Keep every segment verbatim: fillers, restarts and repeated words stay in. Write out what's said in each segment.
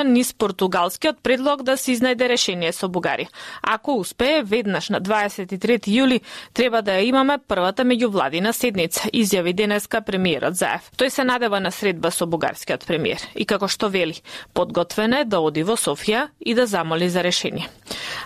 низ португалскиот предлог да се изнајде решение со Бугарија. Ако успее, веднаш на дваесет и трети јули треба да ја имаме првата меѓувладина седница, изјави денеска премиерот Заев. Тој се надева на средба со бугарскиот премиер и како што вели, подготвен е да оди во Софија и да замоли за решение.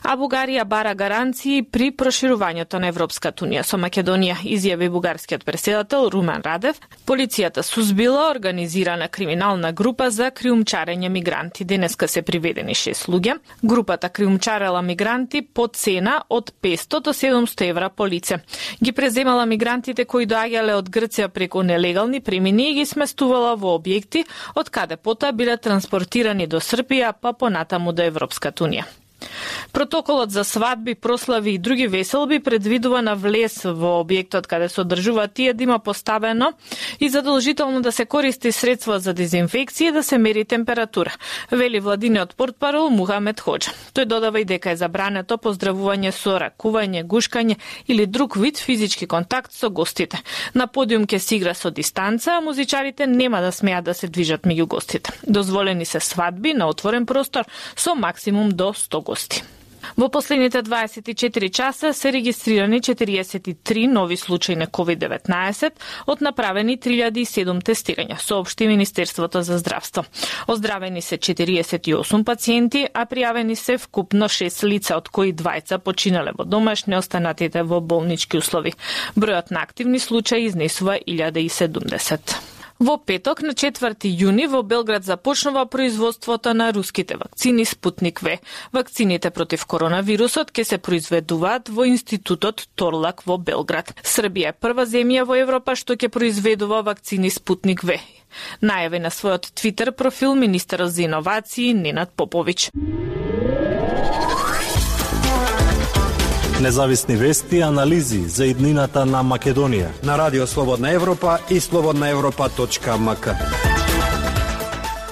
А Бугарија бара гаранции при проширувањето на Европската унија со Македонија, изјави бугарскиот претседател Румен Радев. Полицијата сузбила организирана криминална група за криумчарење мигранти. Денеска се приведени шест луѓе. Групата криумчарела мигранти по цена од петстотини до седумстотини евра по лице. Ги преземала мигрантите кои доаѓале од Грција преку нелегални премини и ги сместувала во објекти, од каде потоа биле транспортирани до Србија, па понатаму до Европската унија. Протоколот за свадби, прослави и други веселби предвидува на влез во објектот каде се одржува тие да има поставено и задолжително да се користи средства за дезинфекција и да се мери температура, вели владиниот портпарол Мухамед Хоџа. Тој додава и дека е забрането поздравување со ракување, гушкање или друг вид физички контакт со гостите. На подиум ќе се игра со дистанца, а музичарите нема да смеат да се движат меѓу гостите. Дозволени се свадби на отворен простор со максимум до сто гости. Во последните дваесет и четири часа се регистрирани четириесет и три нови случаи на ковид деветнаесет од направени три илјади и седум тестирања, соопшти Министерството за здравство. Оздравени се четириесет и осум пациенти, а пријавени се вкупно шест лица, од кои двајца починале во домашни, останатите во болнички услови. Бројот на активни случаи изнесува илјада и седумдесет. Во петок, на четврти јуни, во Белград започнува производството на руските вакцини Спутник В. Вакцините против коронавирусот ќе се произведуваат во Институтот Торлак во Белград. Србија е прва земја во Европа што ќе произведува вакцини Спутник В. Најави на својот Твитер профил министерот за иновации Ненад Поповиќ. Независни вести и анализи за иднината на Македонија на Радио Слободна Европа и слободна европа точка ем ка.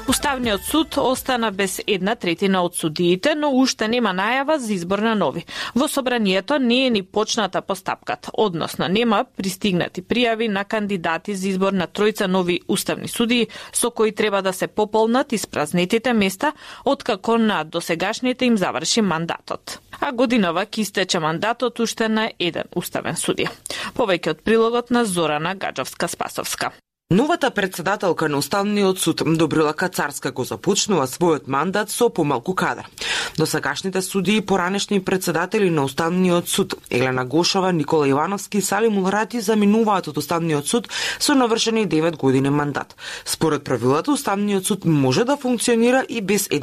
Уставниот суд остана без една третина од судиите, но уште нема најава за избор на нови. Во собранието не е ни почната постапката, односно нема пристигнати пријави на кандидати за избор на тројца нови уставни судии, со кои треба да се пополнат испразнетите места, откако на досегашните им заврши мандатот. А годинава ќе истече мандатот уште на еден уставен судија. Повеќе од прилогот на Зорана Гаджовска-Спасовска. Новата председателка на Уставниот суд Добрила Кацарска го започнува својот мандат со помалку кадар. Досегашните судии и поранешни председатели на Уставниот суд Елена Гошова, Никола Ивановски и Салим Улрати заминуваат од Уставниот суд со навршени девет години мандат. Според правилата, Уставниот суд може да функционира и без